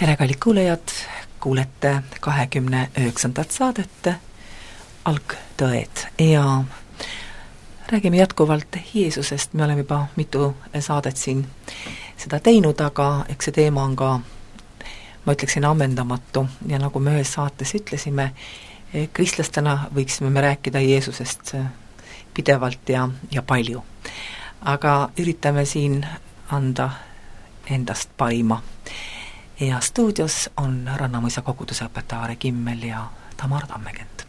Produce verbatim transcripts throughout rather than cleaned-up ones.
tere, kallid kuulejad, kuulete kahekümne üheksandat saadet Algtõed ja räägime jätkuvalt Jeesusest. Me oleme juba mitu saadet siin seda teinud, aga eks see teema on ka, ma ütleksin, ammendamatu ja nagu me ühes saates ütlesime, kristlastena võiksime me rääkida Jeesusest pidevalt ja, ja palju. Aga üritame siin anda endast parima. Ja stuudios on Rannamuisa koguduse õpetaja Aare Kimmel ja Tamar Tammekent.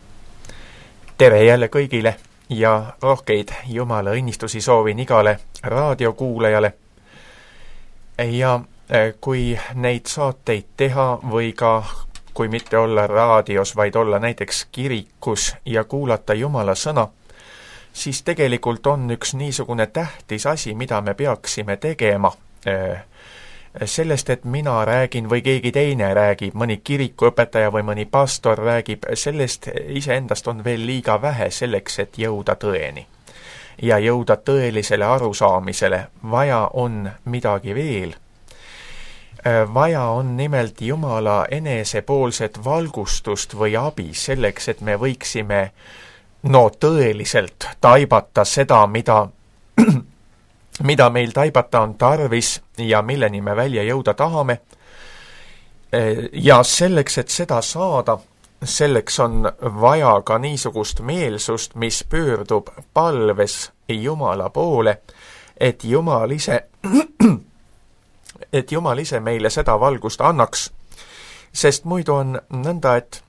Tere jälle kõigile ja rohkeid Jumala õnnistusi soovin igale raadiokuulajale. Ja kui neid saateid teha või ka kui mitte olla raadios, vaid olla näiteks kirikus ja kuulata Jumala sõna, siis tegelikult on üks niisugune tähtis asi, mida me peaksime tegema. Sellest, et mina räägin või keegi teine räägib, mõni kirikuõpetaja või mõni pastor räägib, sellest iseendast on veel liiga vähe selleks, et jõuda tõeni. Ja jõuda tõelisele arusaamisele, vaja on midagi veel. Vaja on nimelt Jumala enesepoolset valgustust või abi selleks, et me võiksime no tõeliselt taibata seda, mida mida meil taibata on tarvis ja milleni me välja jõuda tahame. Ja selleks, et seda saada, selleks on vaja ka niisugust meelsust, mis pöördub palves Jumala poole, et Jumal ise, et Jumal ise meile seda valgust annaks. Sest muidu on nõnda, et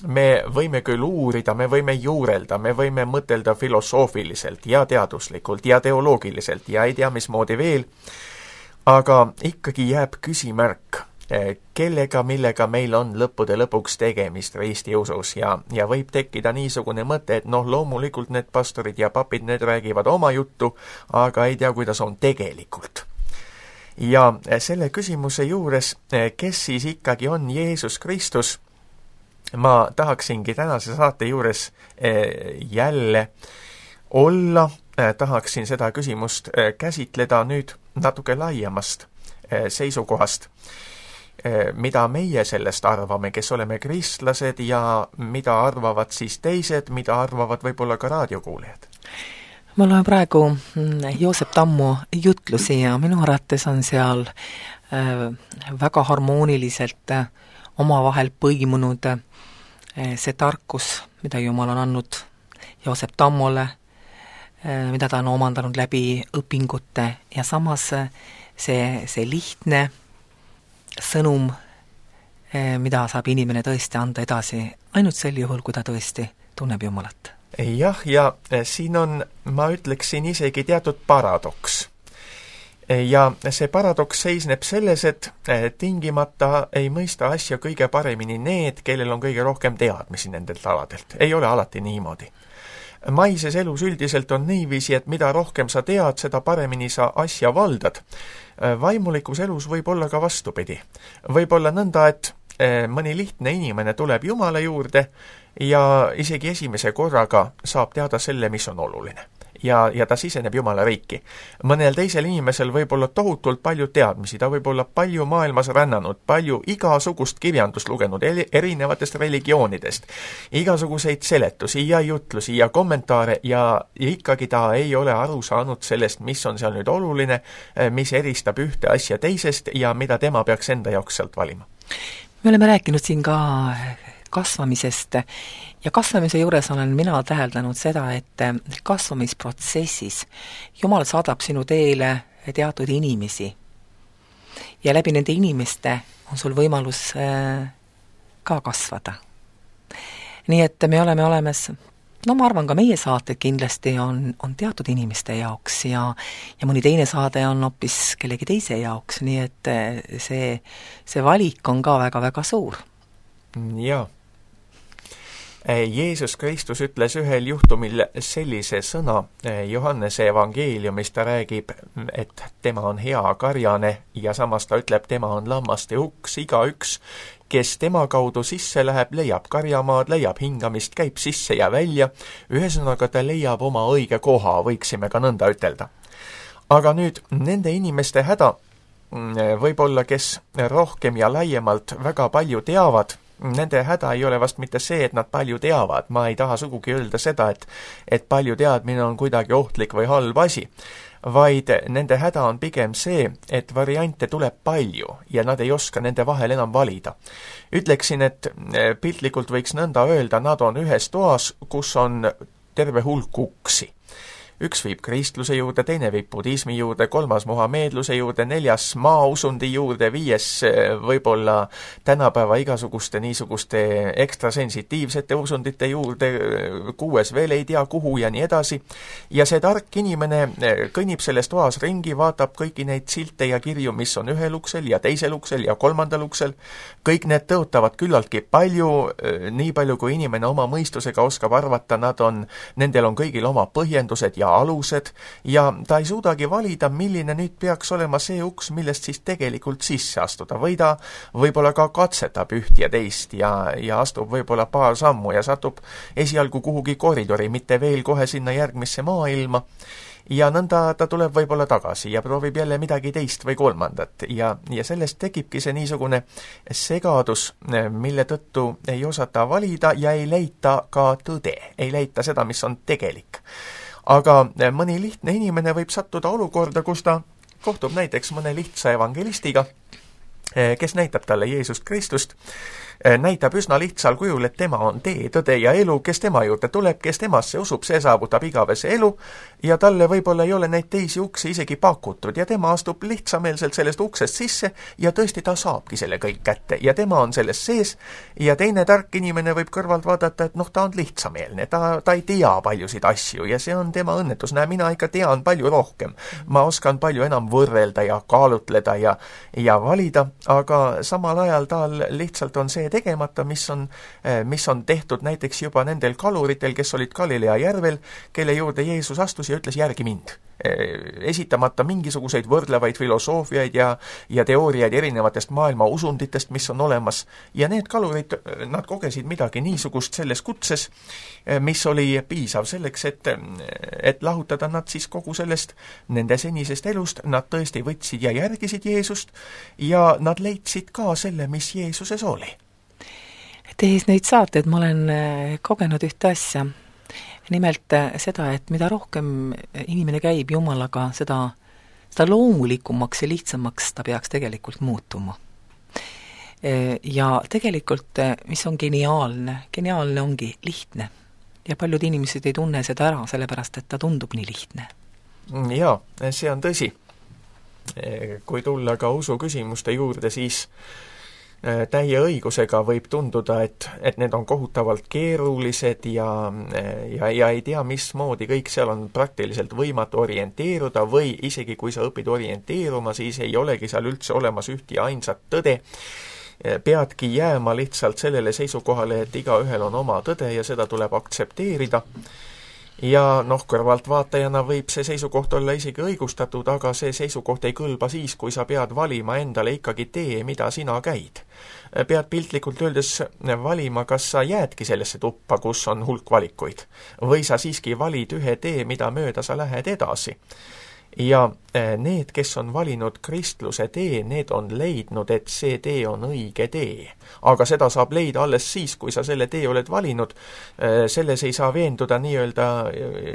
me võime küll uurida, me võime juurelda, me võime mõtelda filosoofiliselt ja teaduslikult ja teoloogiliselt ja ei tea mismoodi veel, aga ikkagi jääb küsimärk, kellega, millega meil on lõppude lõpuks tegemist risti usus ja, ja võib tekkida niisugune mõte, et noh, loomulikult need pastorid ja papid, need räägivad oma juttu, aga ei tea, kuidas on tegelikult. Ja selle küsimuse juures, kes siis ikkagi on Jeesus Kristus, ma tahaksingi tänase saate juures jälle olla, tahaksin seda küsimust käsitleda nüüd natuke laiemast seisukohast, mida meie sellest arvame, kes oleme kristlased ja mida arvavad siis teised, mida arvavad võib-olla ka raadiokuulejad. Ma loen praegu Joosep Tammu jutlusi ja minu arvates on seal väga harmooniliselt omavahel põimunud see tarkus, mida Jumal on andnud Joosep Tammole, mida ta on omandanud läbi õpingute ja samas see, see lihtne sõnum, mida saab inimene tõesti anda edasi ainult sel juhul, kui ta tõesti tunneb Jumalat. Jah, ja siin on, ma ütleksin isegi teatud paradoks. Ja see paradoks seisneb selles, et tingimata ei mõista asja kõige paremini need, kellel on kõige rohkem teadmisi nendelt aladelt. Ei ole alati niimoodi. Maises elus üldiselt on niiviisi, et mida rohkem sa tead, seda paremini sa asja valdad. Vaimulikus elus võib olla ka vastupidi. Võib olla nõnda, et mõni lihtne inimene tuleb Jumala juurde ja isegi esimese korraga saab teada selle, mis on oluline. Ja, ja ta siseneb Jumala riiki. Mõnel teisel inimesel võib olla tohutult palju teadmisi, ta võib olla palju maailmas rännanud, palju igasugust kirjandust lugenud erinevatest religioonidest, igasuguseid seletusi ja jutlusi ja kommentaare ja ikkagi ta ei ole aru saanud sellest, mis on seal nüüd oluline, mis eristab ühte asja teisest ja mida tema peaks enda jaoks sealt valima. Me oleme rääkinud siin ka kasvamisest ja kasvamise juures olen mina täheldanud seda, et kasvamisprotsessis Jumal saadab sinu teele teatud inimesi ja läbi nende inimeste on sul võimalus ka kasvada. Nii et me oleme olemas, no ma arvan ka meie saated kindlasti on, on teatud inimeste jaoks ja, ja mõni teine saade on hoopis kellegi teise jaoks, nii et see, see valik on ka väga-väga suur. Jaa. Jeesus Kristus ütles ühel juhtumil sellise sõna Johannese evangeeliumis, ta räägib, et tema on hea karjane ja samas ta ütleb, tema on lammaste uks, igaüks, kes tema kaudu sisse läheb, leiab karjamaad, leiab hingamist, käib sisse ja välja, ühesõnaga ta leiab oma õige koha, võiksime ka nõnda ütelda. Aga nüüd nende inimeste häda võib-olla, kes rohkem ja laiemalt väga palju teavad, nende häda ei ole vast mitte see, et nad palju teavad. Ma ei taha sugugi öelda seda, et, et palju teadmine on kuidagi ohtlik või halb asi, vaid nende häda on pigem see, et variante tuleb palju ja nad ei oska nende vahel enam valida. Ütleksin, et piltlikult võiks nõnda öelda, nad on ühes toas, kus on terve hulk uksi. Üks viib kristluse juurde, teine viib budismi juurde, kolmas muhameedluse juurde, neljas maausundi juurde, viies võib-olla tänapäeva igasuguste niisuguste ekstrasensitiivsete usundite juurde, kuues veel ei tea kuhu ja nii edasi. Ja see tark inimene kõnnib selles toas ringi, vaatab kõiki neid silte ja kirju, mis on ühel uksel ja teisel uksel ja kolmandal uksel. Kõik need tõotavad küllaltki palju, nii palju kui inimene oma mõistusega oskab arvata, nad on, nendel on kõigil oma põhjendused ja alused ja ta ei suudagi valida, milline nüüd peaks olema see uks, millest siis tegelikult sisse astuda. Või ta võib-olla ka katsetab üht ja teist ja, ja astub võib-olla paar sammu ja satub esialgu kuhugi koridori, mitte veel kohe sinna järgmisse maailma. Ja nõnda ta tuleb võib-olla tagasi ja proovib jälle midagi teist või kolmandat. Ja, ja sellest tekibki see niisugune segadus, mille tõttu ei osata valida ja ei leita ka tõde, ei leita seda, mis on tegelik. Aga mõni lihtne inimene võib sattuda olukorda, kus ta kohtub näiteks mõne lihtsa evangelistiga, kes näitab talle Jeesust Kristust, näitab üsna lihtsal kujul, et tema on tee, tõde ja elu, kes tema juurde tuleb, kes temasse usub, see saavutab igavese elu ja talle võib-olla ei ole neid teisi uksi isegi pakutud ja tema astub lihtsameelselt sellest uksest sisse ja tõesti ta saabki selle kõik kätte ja tema on selles sees ja teine tark inimene võib kõrvalt vaadata, et noh, ta on lihtsameelne, ta, ta ei tea paljusid asju ja see on tema õnnetus. Näe, mina ikka tean palju rohkem. Ma oskan palju enam võrrelda ja kaalutleda ja, ja valida, aga samal ajal tal lihtsalt on see tegemata, mis on, mis on tehtud näiteks juba nendel kaluritel, kes olid Galilea järvel, kelle juurde Jeesus astus ja ütles järgi mind. Esitamata mingisuguseid võrdlevaid filosoofiaid ja, ja teooriaid erinevatest maailma usunditest, mis on olemas. Ja need kalurid, nad kogesid midagi niisugust selles kutses, mis oli piisav selleks, et, et lahutada nad siis kogu sellest nende senisest elust. Nad tõesti võtsid ja järgisid Jeesust ja nad leidsid ka selle, mis Jeesuses oli. Tehes neid saateid ma olen kogenud ühte asja. Nimelt seda, et mida rohkem inimene käib Jumalaga, seda, seda loomulikumaks ja lihtsamaks ta peaks tegelikult muutuma. Ja tegelikult, mis on geniaalne, geniaalne ongi lihtne. Ja paljud inimesed ei tunne seda ära, sellepärast, et ta tundub nii lihtne. Jaa, see on tõsi. Kui tulla ka usu küsimuste juurde, siis täie õigusega võib tunduda, et, et need on kohutavalt keerulised ja, ja, ja ei tea, mismoodi kõik seal on praktiliselt võimatu orienteeruda või isegi kui sa õpid orienteeruma, siis ei olegi seal üldse olemas üht ja ainsat tõde. Peadki jääma lihtsalt sellele seisukohale, et igaühel on oma tõde ja seda tuleb aktsepteerida. Ja noh, kõrvaltvaatajana võib see seisukoht olla isegi õigustatud, aga see seisukoht ei kõlba siis, kui sa pead valima endale ikkagi tee, mida sina käid. Pead piltlikult öeldes valima, kas sa jäädki sellesse tuppa, kus on hulk valikuid, või sa siiski valid ühe tee, mida mööda sa lähed edasi. Ja need, kes on valinud kristluse tee, need on leidnud, et see tee on õige tee. Aga seda saab leida alles siis, kui sa selle tee oled valinud. Selles ei saa veenduda nii-öelda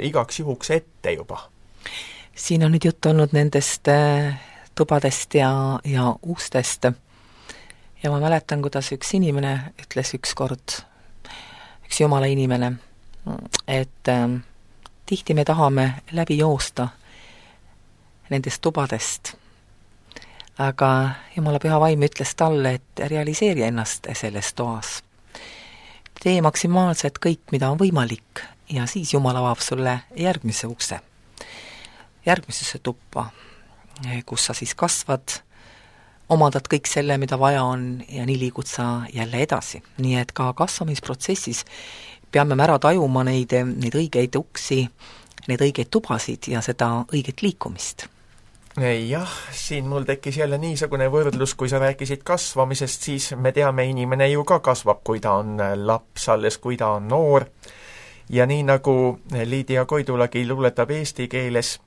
igaks juhuks ette juba. Siin on nüüd jutt olnud nendest tubadest ja, ja ustest. Ja ma mäletan, kuidas üks inimene ütles üks kord, üks jumala inimene, et äh, tihti me tahame läbi joosta nendest tubadest. Aga Jumala püha vaim ütles talle, et realiseeri ennast selles toas. Tee maksimaalselt kõik, mida on võimalik ja siis Jumal avab sulle järgmise ukse. Järgmisesse tuppa, kus sa siis kasvad, omandad kõik selle, mida vaja on ja nii liigud sa jälle edasi. Nii et ka kasvamisprotsessis peame ära tajuma neid, neid õigeid uksi, neid õigeid tubasid ja seda õiget liikumist. Jah, siin mul tekkis jälle niisugune võrdlus, kui sa rääkisid kasvamisest, siis me teame, inimene ju ka kasvab, kui ta on laps, alles kui ta on noor. Ja nii nagu Liidia Koidulagi luuletab eesti keeles,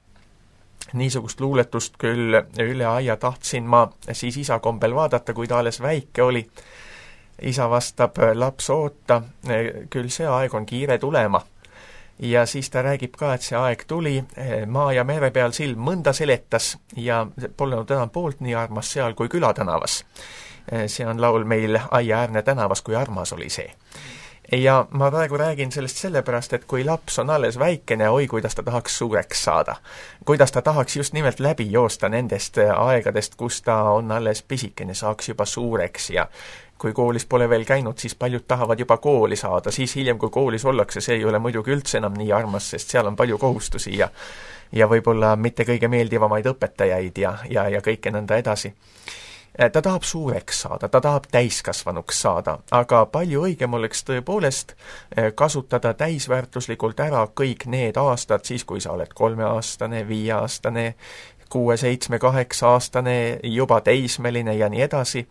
niisugust luuletust küll üle aia tahtsin ma siis isa kombel vaadata, kui ta alles väike oli. Isa vastab, laps oota, küll see aeg on kiire tulema. Ja siis ta räägib ka, et see aeg tuli, maa ja mere peal silm mõnda seletas ja polnud enam poolt nii armas seal kui külatänavas. See on laul meil Aiaäärne tänavas, kui armas oli see. Ja ma praegu räägin sellest sellepärast, et kui laps on alles väikene, oi, kuidas ta tahaks suureks saada. Kuidas ta tahaks just nimelt läbi joosta nendest aegadest, kus ta on alles pisikene, saaks juba suureks ja kui koolis pole veel käinud, siis paljud tahavad juba kooli saada, siis hiljem, kui koolis ollakse, see ei ole muidugi üldse enam nii armas, sest seal on palju kohustusi ja, ja võib-olla mitte kõige meeldivamaid õpetajaid ja, ja, ja kõike nõnda edasi. Ta tahab suureks saada, ta tahab täiskasvanuks saada, aga palju õigem oleks tõepoolest kasutada täisväärtuslikult ära kõik need aastad, siis kui sa oled kolmeaastane, viieaastane, kuue, seitsme, kaheksa aastane, juba teismeline ja nii edasi,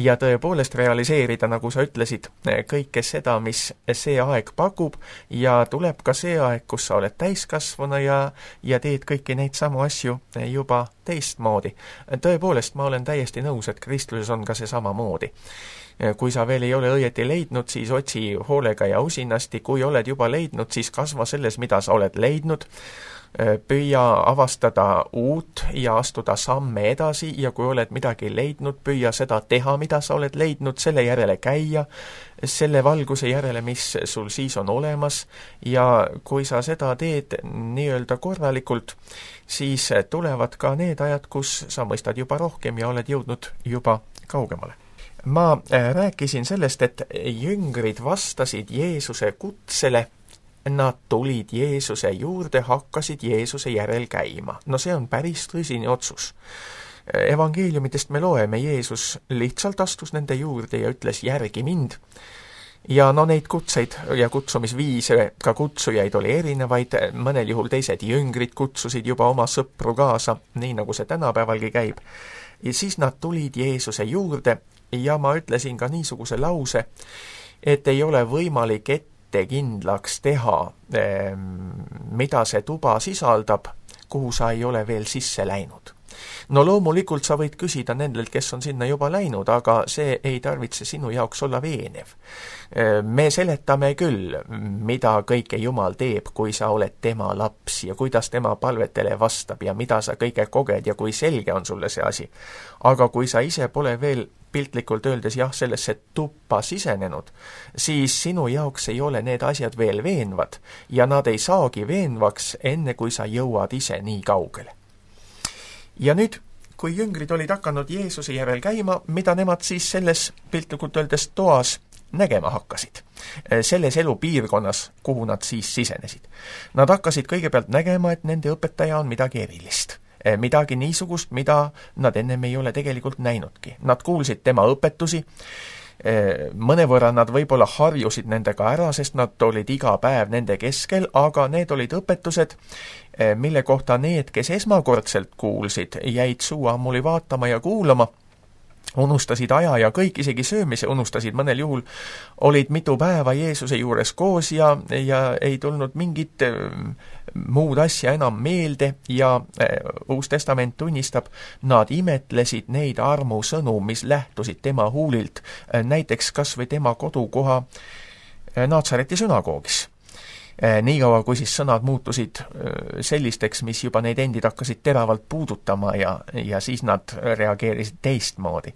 ja tõepoolest realiseerida, nagu sa ütlesid, kõike seda, mis see aeg pakub, ja tuleb ka see aeg, kus sa oled täiskasvana ja, ja teed kõiki neid samu asju juba teistmoodi. Tõepoolest, ma olen täiesti nõus, et kristluses on ka see sama moodi. Kui sa veel ei ole õieti leidnud, siis otsi hoolega ja usinasti, kui oled juba leidnud, siis kasva selles, mida sa oled leidnud, püüa avastada uut ja astuda samme edasi ja kui oled midagi leidnud, püüa seda teha, mida sa oled leidnud, selle järele käia, selle valguse järele, mis sul siis on olemas ja kui sa seda teed nii-öelda korralikult, siis tulevad ka need ajad, kus sa mõistad juba rohkem ja oled jõudnud juba kaugemale. Ma rääkisin sellest, et jüngrid vastasid Jeesuse kutsele. Nad tulid Jeesuse juurde, hakkasid Jeesuse järel käima. No see on päris tõsine otsus. Evangeeliumitest me loeme, Jeesus lihtsalt astus nende juurde ja ütles, järgi mind. Ja no neid kutseid ja kutsumisviise, ka kutsujaid oli erinevaid, mõnel juhul teised jüngrid kutsusid juba oma sõpru kaasa, nii nagu see tänapäevalgi käib. Ja siis nad tulid Jeesuse juurde ja ma ütlesin ka niisuguse lause, et ei ole võimalik ette kindlaks teha, mida see tuba sisaldab, kuhu sa ei ole veel sisse läinud. No loomulikult sa võid küsida nendelt, kes on sinna juba läinud, aga see ei tarvitse sinu jaoks olla veenev. Me seletame küll, mida kõike Jumal teeb, kui sa oled tema laps ja kuidas tema palvetele vastab ja mida sa kõige koged ja kui selge on sulle see asi. Aga kui sa ise pole veel piltlikult öeldes jah, sellesse tuppa sisenenud, siis sinu jaoks ei ole need asjad veel veenvad ja nad ei saagi veenvaks enne, kui sa jõuad ise nii kaugele. Ja nüüd, kui jüngrid olid hakanud Jeesuse järel käima, mida nemad siis selles piltlikult öeldes toas nägema hakkasid, selles elupiirkonnas, kuhu nad siis sisenesid. Nad hakkasid kõigepealt nägema, et nende õpetaja on midagi erilist. Midagi niisugust, mida nad ennem ei ole tegelikult näinudki. Nad kuulsid tema õpetusi, mõnevõrra nad võib-olla harjusid nendega ära, sest nad olid iga päev nende keskel, aga need olid õpetused, mille kohta need, kes esmakordselt kuulsid, jäid suu ammuli vaatama ja kuulama, unustasid aja ja kõik, isegi söömise unustasid, mõnel juhul olid mitu päeva Jeesuse juures koos ja, ja ei tulnud mingit muud asja enam meelde ja Uus Testament tunnistab, nad imetlesid neid armusõnu, mis lähtusid tema huulilt, näiteks kas või tema kodukoha Naatsareti sünagoogis. Niikaua, kui siis sõnad muutusid sellisteks, mis juba neid endid hakkasid teravalt puudutama ja, ja siis nad reageerisid teistmoodi.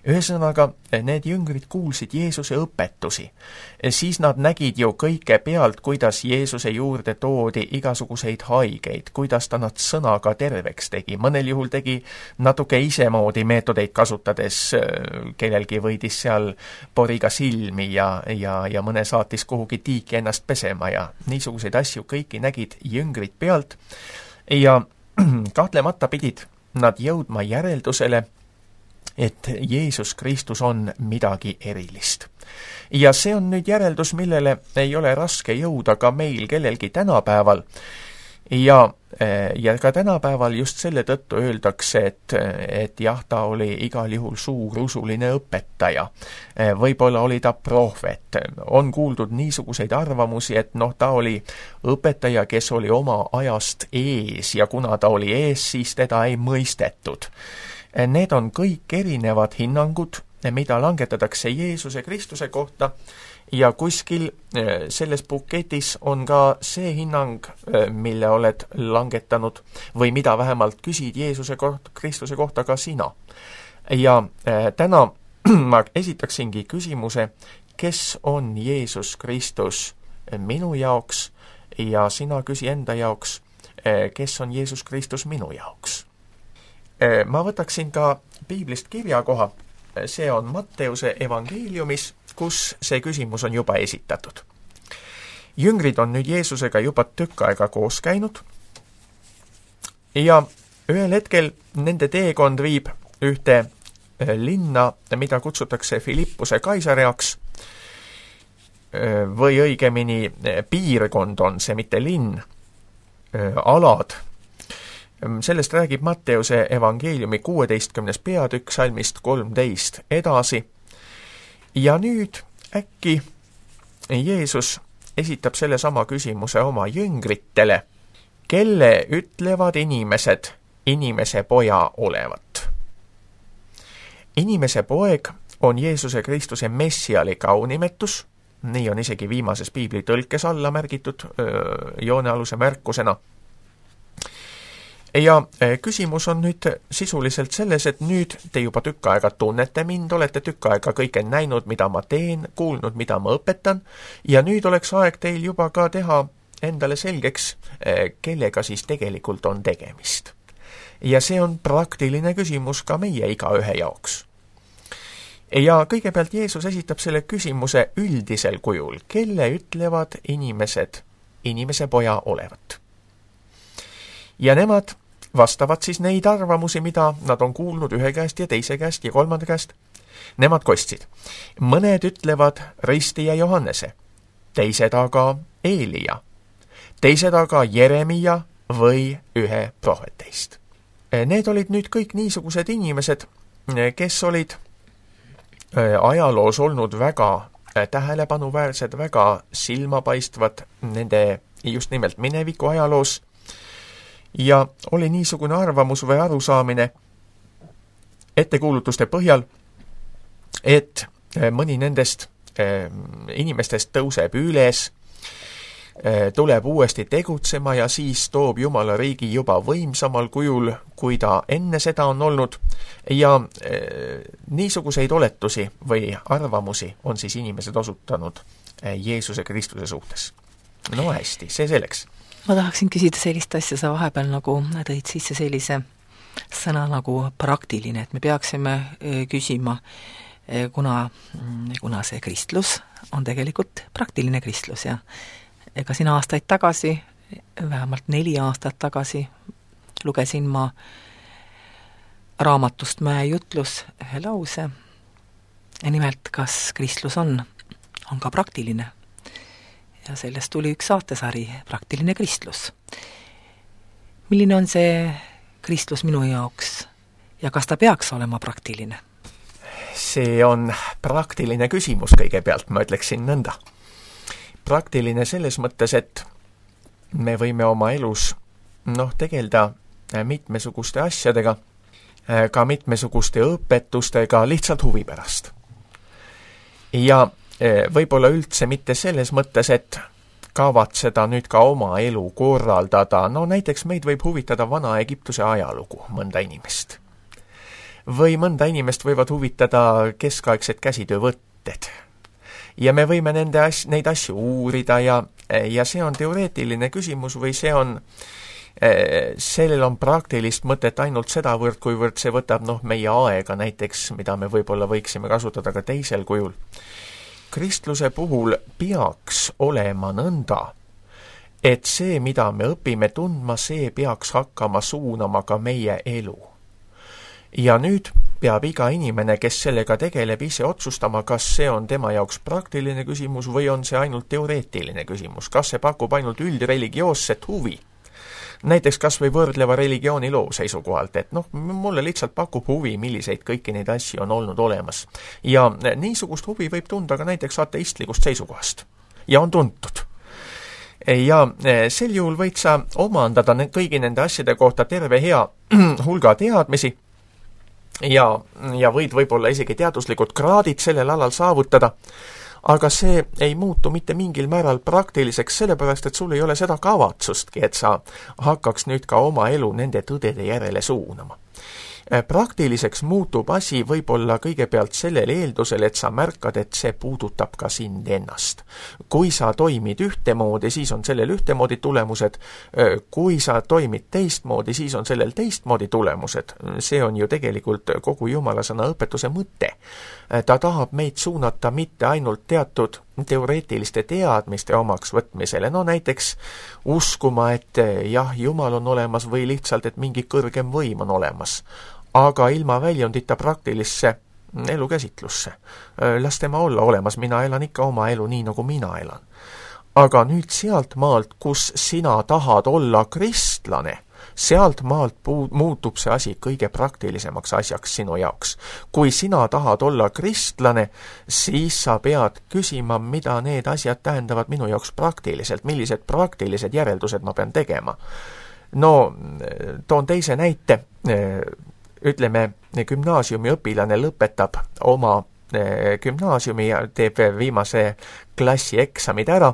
Ühesõnaga, need jüngrid kuulsid Jeesuse õpetusi. Siis nad nägid ju kõike pealt, kuidas Jeesuse juurde toodi igasuguseid haigeid, kuidas ta nad sõnaga terveks tegi. Mõnel juhul tegi natuke isemoodi meetodeid kasutades, kellelgi võidis seal poriga silmi ja, ja, ja mõne saatis kuhugi tiiki ennast pesema ja niisuguseid asju kõiki nägid jüngrid pealt ja kahtlemata pidid nad jõudma järeldusele, et Jeesus Kristus on midagi erilist. Ja see on nüüd järeldus, millele ei ole raske jõuda ka meil kellelgi tänapäeval. Ja Ja ka tänapäeval just selle tõttu öeldakse, et, et jah, ta oli igal juhul suur usuline õpetaja. Võib-olla oli ta prohvet. On kuuldud niisuguseid arvamusi, et noh, ta oli õpetaja, kes oli oma ajast ees ja kuna ta oli ees, siis teda ei mõistetud. Need on kõik erinevad hinnangud, mida langetatakse Jeesuse Kristuse kohta, ja kuskil selles buketis on ka see hinnang, mille oled langetanud või mida vähemalt küsid Jeesuse kohta, Kristuse kohta ka sina. Ja täna ma esitaksingi küsimuse, kes on Jeesus Kristus minu jaoks ja sina küsi enda jaoks, kes on Jeesus Kristus minu jaoks. Ma võtaksin ka piiblist kirjakoha, see on Matteuse evangeeliumis, kus see küsimus on juba esitatud. Jüngrid on nüüd Jeesusega juba tükk aega koos käinud ja ühel hetkel nende teekond viib ühte linna, mida kutsutakse Filippuse Kaisareaks, või õigemini piirkond on see, mitte linn, alad. Sellest räägib Matteuse evangeeliumi kuueteistkümnes peatükk salmist kolmteist edasi. Ja nüüd äkki Jeesus esitab selle sama küsimuse oma jüngritele, kelle ütlevad inimesed inimese poja olevat. Inimese poeg on Jeesuse Kristuse messiali kaunimetus, nii on isegi viimases piibli tõlkes alla märgitud öö, joonealuse märkusena. Ja küsimus on nüüd sisuliselt selles, et nüüd te juba tükk aega tunnete mind, olete tükk aega kõike näinud, mida ma teen, kuulnud, mida ma õpetan, ja nüüd oleks aeg teil juba ka teha endale selgeks, kellega siis tegelikult on tegemist. Ja see on praktiline küsimus ka meie igaühe jaoks. Ja kõigepealt Jeesus esitab selle küsimuse üldisel kujul, kelle ütlevad inimesed inimese poja olevat. Ja nemad vastavad siis neid arvamusi, mida nad on kuulnud ühe käest ja teise käest ja kolmanda käest. Nemad kostsid. Mõned ütlevad ristija Johannese, teised aga Eelia, teised aga Jeremia või ühe prohveteist. Need olid nüüd kõik niisugused inimesed, kes olid ajaloos olnud väga tähelepanuväärsed, väga silmapaistvad nende just nimelt mineviku ajaloos. Ja oli niisugune arvamus või arusaamine ettekuulutuste põhjal, et mõni nendest inimestest tõuseb üles, tuleb uuesti tegutsema ja siis toob Jumala riigi juba võimsamal kujul, kui ta enne seda on olnud. Ja niisuguseid oletusi või arvamusi on siis inimesed osutanud Jeesuse Kristuse suhtes. No hästi, see selleks. Ma tahaksin küsida sellist asja, sa vahepeal nagu tõid sisse sellise sõna nagu praktiline, et me peaksime küsima, kuna, kuna see kristlus on tegelikult praktiline kristlus ja ega siin aastaid tagasi, vähemalt neli aastat tagasi, lugesin ma raamatust Mäe jutlus ühe lause, nimelt kas kristlus on, on ka praktiline. Ja sellest tuli üks saatesari, praktiline kristlus. Milline on see kristlus minu jaoks ja kas ta peaks olema praktiline? See on praktiline küsimus kõigepealt, ma ütleksin nõnda. Praktiline selles mõttes, et me võime oma elus noh, tegelda mitmesuguste asjadega, ka mitmesuguste õpetustega lihtsalt huvi pärast. Ja võib-olla üldse mitte selles mõttes, et kavatseda nüüd ka oma elu korraldada. No näiteks meid võib huvitada vana Egiptuse ajalugu mõnda inimest. Või mõnda inimest võivad huvitada keskaegsed käsitöövõtted. Ja me võime nende as- neid asju uurida ja, ja see on teoreetiline küsimus või see on, sellel on praktilist mõtet ainult sedavõrd, kuivõrd see võtab noh, meie aega näiteks, mida me võib-olla võiksime kasutada ka teisel kujul. Kristluse puhul peaks olema nõnda, et see, mida me õpime tundma, see peaks hakkama suunama ka meie elu. Ja nüüd peab iga inimene, kes sellega tegeleb, ise otsustama, kas see on tema jaoks praktiline küsimus või on see ainult teoreetiline küsimus, kas see pakub ainult üldreligioosset huvi. näiteks kas või võrdleva religiooni loo seisukohalt, et noh, mulle lihtsalt pakub huvi, milliseid kõiki neid asju on olnud olemas. ja niisugust huvi võib tunda ka näiteks ateistlikust seisukohast. ja on tuntud. ja sel juhul võid sa omandada kõigi nende asjade kohta terve hea hulga teadmisi ja, ja võid võib-olla isegi teaduslikud kraadid sellel alal saavutada, aga see ei muutu mitte mingil määral praktiliseks, sellepärast et sul ei ole seda kavatsustki, et sa hakkaks nüüd ka oma elu nende tõdede järele suunama. Praktiliseks muutub asi võib-olla kõigepealt sellel eeldusel, et sa märkad, et see puudutab ka sind ennast. Kui sa toimid ühtemoodi, siis on sellel ühtemoodi tulemused, kui sa toimid teistmoodi, siis on sellel teistmoodi tulemused. See on ju tegelikult kogu Jumala sõna õpetuse mõte. Ta tahab meid suunata mitte ainult teatud teoreetiliste teadmiste omaks võtmisele, no näiteks uskuma, et jah, Jumal on olemas või lihtsalt, et mingi kõrgem võim on olemas, aga ilma väljundita praktilisse elukäsitlusse. Las tema olla olemas, mina elan ikka oma elu nii, nagu mina elan. Aga nüüd sealt maalt, kus sina tahad olla kristlane, sealt maalt puu- muutub see asi kõige praktilisemaks asjaks sinu jaoks. Kui sina tahad olla kristlane, siis sa pead küsima, mida need asjad tähendavad minu jaoks praktiliselt, millised praktilised järeldused ma pean tegema. No, toon teise näite. Ütleme, gümnaasiumi õpilane lõpetab oma gümnaasiumi ja teeb viimase klassi eksamid ära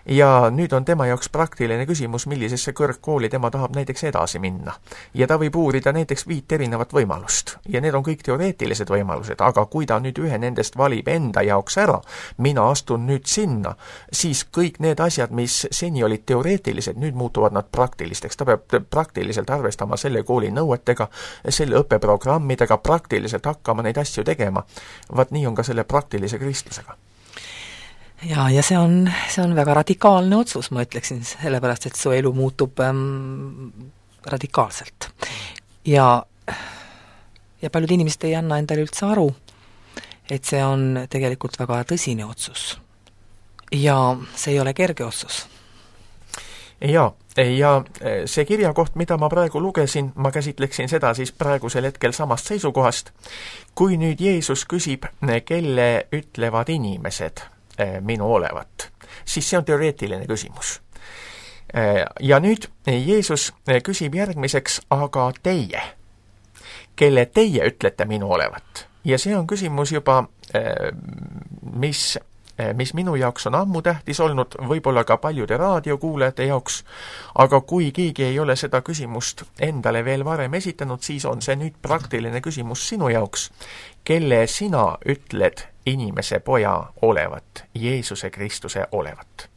ja nüüd on tema jaoks praktiline küsimus, millisesse kõrgkooli tema tahab näiteks edasi minna. Ja ta võib uurida näiteks viit erinevat võimalust. Ja need on kõik teoreetilised võimalused, aga kui ta nüüd ühe nendest valib enda jaoks ära, mina astun nüüd sinna, siis kõik need asjad, mis seni olid teoreetilised, nüüd muutuvad nad praktilisteks. Ta peab praktiliselt arvestama selle kooli nõuetega, selle õppeprogrammidega, praktiliselt hakkama neid asju tegema. Vaat nii on ka selle praktilise kristlusega. Ja, ja see on, see on väga radikaalne otsus, ma ütleksin, sellepärast, et su elu muutub ähm, radikaalselt. Ja, ja paljud inimesed ei anna endale üldse aru, et see on tegelikult väga tõsine otsus. Ja see ei ole kerge otsus. Ja, ja see kirjakoht, mida ma praegu lugesin, ma käsitleksin seda siis praegusel hetkel samast seisukohast. Kui nüüd Jeesus küsib, kelle ütlevad inimesed minu olevat, siis see on teoreetiline küsimus. Ja nüüd Jeesus küsib järgmiseks, aga teie, kelle teie ütlete minu olevat. Ja see on küsimus juba, mis, mis minu jaoks on ammu tähtis olnud, võib-olla ka paljude raadiokuulajate jaoks, aga kui keegi ei ole seda küsimust endale veel varem esitanud, siis on see nüüd praktiline küsimus sinu jaoks, kelle sina ütled inimese poja olevat, Jeesuse Kristuse olevat.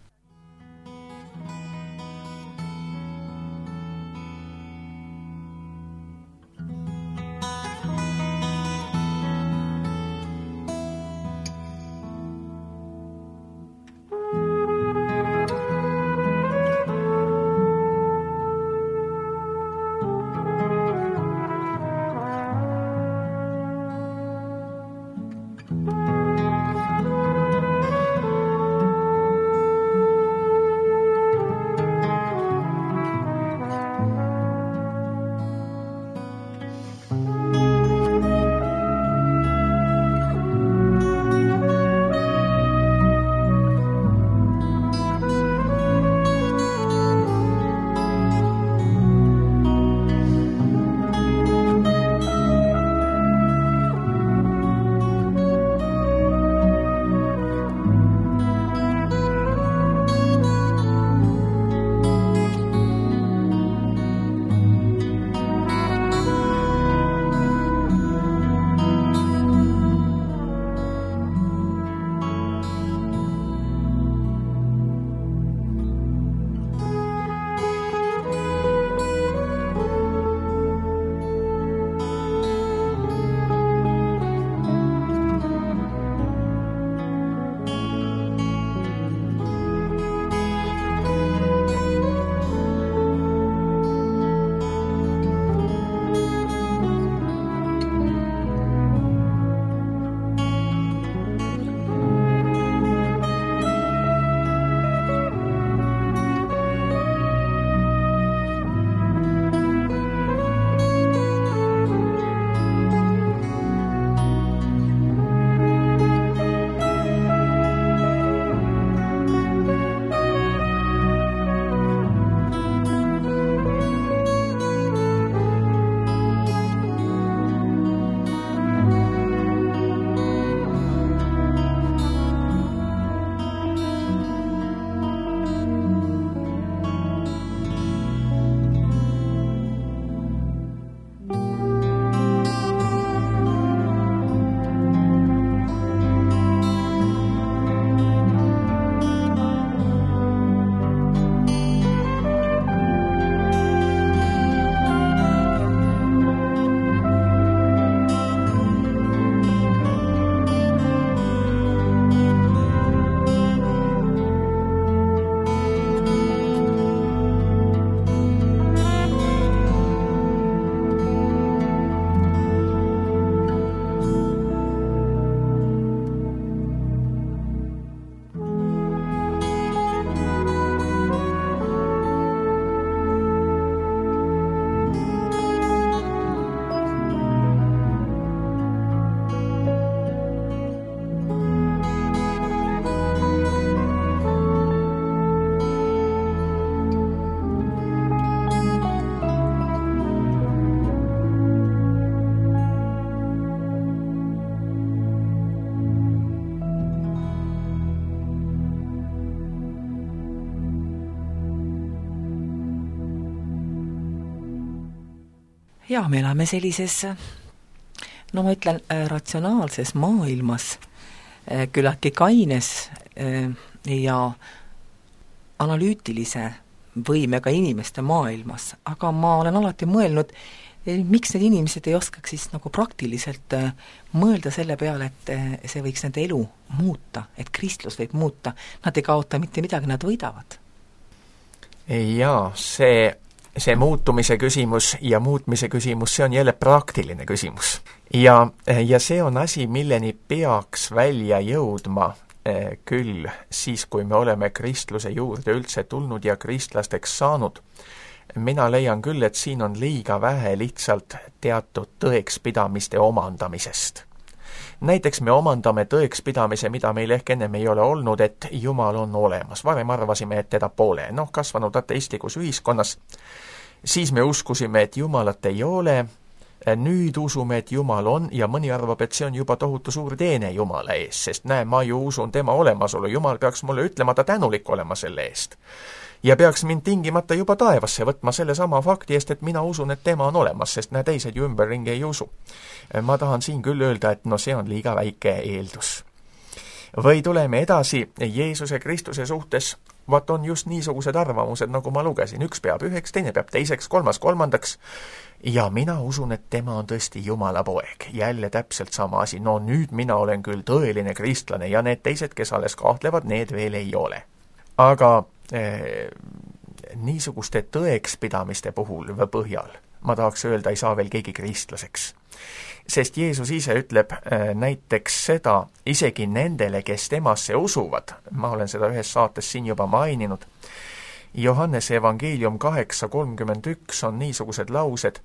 ja me elame sellises, no ma ütlen, ratsionaalses maailmas, küllaltki kaines ja analüütilise võimega inimeste maailmas, aga ma olen alati mõelnud, miks need inimesed ei oskaks siis nagu praktiliselt mõelda selle peale, et see võiks nende elu muuta, et kristlus võib muuta, nad ei kaota mitte midagi, nad võidavad. Jaa, see, see muutumise küsimus ja muutmise küsimus, see on jälle praktiline küsimus. Ja, ja see on asi, milleni peaks välja jõudma küll siis, kui me oleme kristluse juurde üldse tulnud ja kristlasteks saanud. Mina leian küll, et siin on liiga vähe lihtsalt teatud tõekspidamiste omandamisest. Näiteks me omandame tõekspidamise, mida meil ehk ennem ei ole olnud, et Jumal on olemas. Varem arvasime, et teda pole. Noh, kasvanud ateistlikus ühiskonnas. Siis me uskusime, et Jumalat ei ole. Nüüd usume, et Jumal on ja mõni arvab, et see on juba tohutu suur teene Jumala ees, sest näe, ma ju usun tema olemasolu. Jumal peaks mulle ütlema ta tänulik olema selle eest. Ja peaks mind tingimata juba taevasse võtma selle sama fakti eest, et mina usun, et tema on olemas, sest näe, teised ju ümberringi ei usu. Ma tahan siin küll öelda, et no see on liiga väike eeldus. Või tuleme edasi Jeesuse Kristuse suhtes, vaat on just niisugused arvamused, nagu ma lugesin. Üks peab üheks, teine peab teiseks, kolmas kolmandaks. Ja mina usun, et tema on tõesti Jumala poeg. Jälle täpselt sama asi. No nüüd mina olen küll tõeline kristlane ja need teised, kes alles kahtlevad, need veel ei ole. Aga eh, niisuguste tõekspidamiste puhul või põhjal, ma tahaks öelda, ei saa veel keegi kristlaseks. Sest Jeesus ise ütleb äh, näiteks seda isegi nendele, kes temasse usuvad. Ma olen seda ühes saates siin juba maininud. Johannese evangeelium kaheksa kolmkümmend üks on niisugused laused,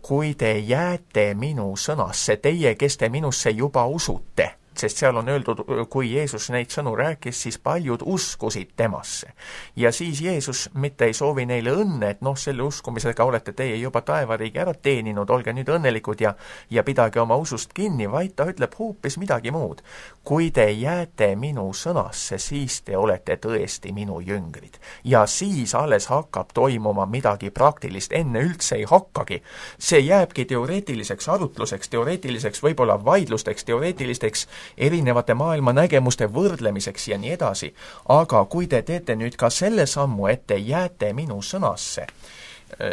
kui te jääte minu sõnasse, teie, kes te minusse juba usute, sest seal on öeldud, kui Jeesus neid sõnu rääkis, siis paljud uskusid temasse. Ja siis Jeesus mitte ei soovi neile õnne, et noh, selle uskumisega olete teie juba taevariigi ära teeninud, olge nüüd õnnelikud ja, ja pidage oma usust kinni, vaid ta ütleb hoopis midagi muud. Kui te jääte minu sõnasse, siis te olete tõesti minu jüngrid. Ja siis alles hakkab toimuma midagi praktilist, enne üldse ei hakkagi. See jääbki teoreetiliseks arutluseks, teoreetiliseks võib-olla vaidlusteks, teoreetilisteks erinevate maailma nägemuste võrdlemiseks ja nii edasi. Aga kui te teete nüüd ka selle sammu, et te jääte minu sõnasse,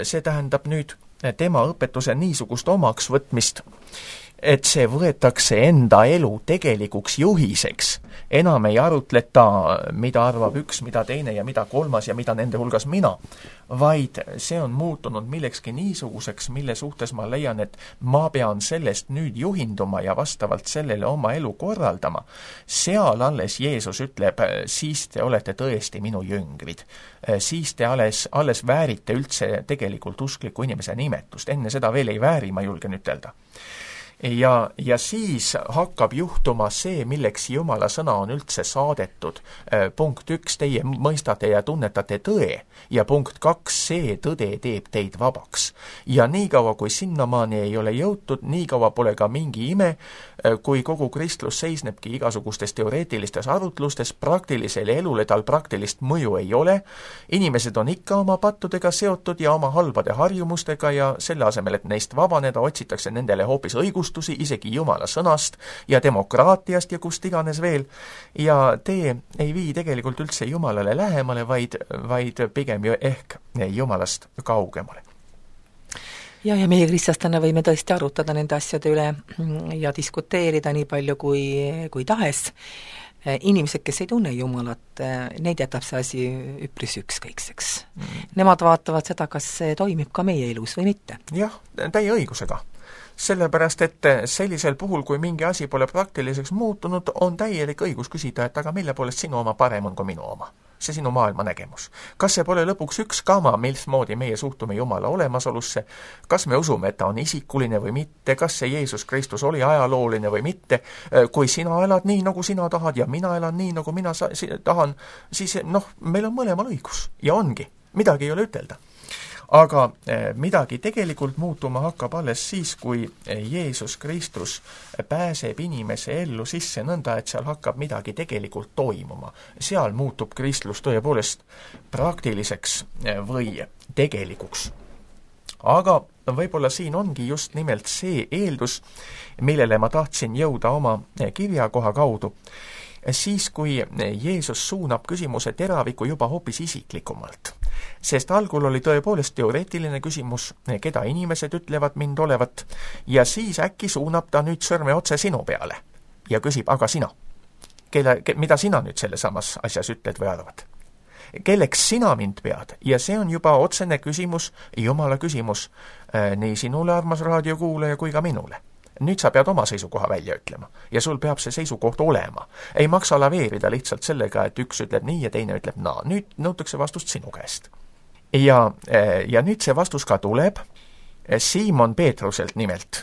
see tähendab nüüd tema õpetuse niisugust omaks võtmist, et see võetakse enda elu tegelikuks juhiseks. Enam ei arutleta, mida arvab üks, mida teine ja mida kolmas ja mida nende hulgas mina, vaid see on muutunud millekski niisuguseks, mille suhtes ma leian, et ma pean sellest nüüd juhinduma ja vastavalt sellele oma elu korraldama. Seal alles Jeesus ütleb, siis te olete tõesti minu jüngrid. Siis te alles, alles väärite üldse tegelikult uskliku inimese nimetust. Enne seda veel ei vääri, ma julgen ütelda. Ja, ja siis hakkab juhtuma see, milleks Jumala sõna on üldse saadetud. Punkt üks, teie mõistate ja tunnetate tõe. Ja punkt kaks, see tõde teeb teid vabaks. Ja nii kaua, kui sinnamaani ei ole jõutud, nii kaua pole ka mingi ime, kui kogu kristlus seisnebki igasugustes teoreetilistes arutlustes, praktilisele elule tal praktilist mõju ei ole. Inimesed on ikka oma pattudega seotud ja oma halbade harjumustega ja selle asemel, et neist vabaneda, otsitakse nendele hoopis õigust, isegi Jumala sõnast ja demokraatiast ja kust iganes veel. Ja tee ei vii tegelikult üldse Jumalale lähemale, vaid, vaid pigem ju ehk Jumalast kaugemale. Ja, ja meie kristlastena võime tõesti arutada nende asjade üle ja diskuteerida nii palju kui, kui tahes. Inimesed, kes ei tunne Jumalat, neid jätab see asi üpris ükskõikseks. Mm. Nemad vaatavad seda, kas see toimib ka meie elus või mitte. Jah, täie õigusega. Sellepärast, et sellisel puhul, kui mingi asi pole praktiliseks muutunud, on täielik õigus küsida, et aga mille poolest sinu oma parem on kui minu oma. See sinu maailma nägemus. Kas see pole lõpuks üks kama, milsmoodi meie suhtume Jumala olemasolusse? Kas me usume, et ta on isikuline või mitte? Kas see Jeesus Kristus oli ajalooline või mitte? Kui sina elad nii, nagu sina tahad ja mina elan nii, nagu mina sa- tahan, siis noh, meil on mõlemal õigus. Ja ongi. Midagi ei ole ütelda. Aga midagi tegelikult muutuma hakkab alles siis, kui Jeesus Kristus pääseb inimese ellu sisse nõnda, et seal hakkab midagi tegelikult toimuma. Seal muutub kristlus tõepoolest praktiliseks või tegelikuks. Aga võib-olla siin ongi just nimelt see eeldus, millele ma tahtsin jõuda oma kirjakoha kaudu, siis kui Jeesus suunab küsimuse teraviku juba hoopis isiklikumalt. Sest algul oli tõepoolest teoreetiline küsimus, keda inimesed ütlevad mind olevat, ja siis äkki suunab ta nüüd sõrme otse sinu peale ja küsib, aga sina, kelle, mida sina nüüd selle samas asjas ütled või arvad? Kelleks sina mind pead? Ja see on juba otsene küsimus, Jumala küsimus nii sinule, armas raadiokuulaja, kui ka minule. Nüüd sa pead oma seisukoha välja ütlema ja sul peab see seisukoht olema. Ei maksa laveerida lihtsalt sellega, et üks ütleb nii ja teine ütleb naa. Nüüd nõutakse vastust sinu käest. Ja, ja nüüd see vastus ka tuleb Siimon Peetruselt nimelt.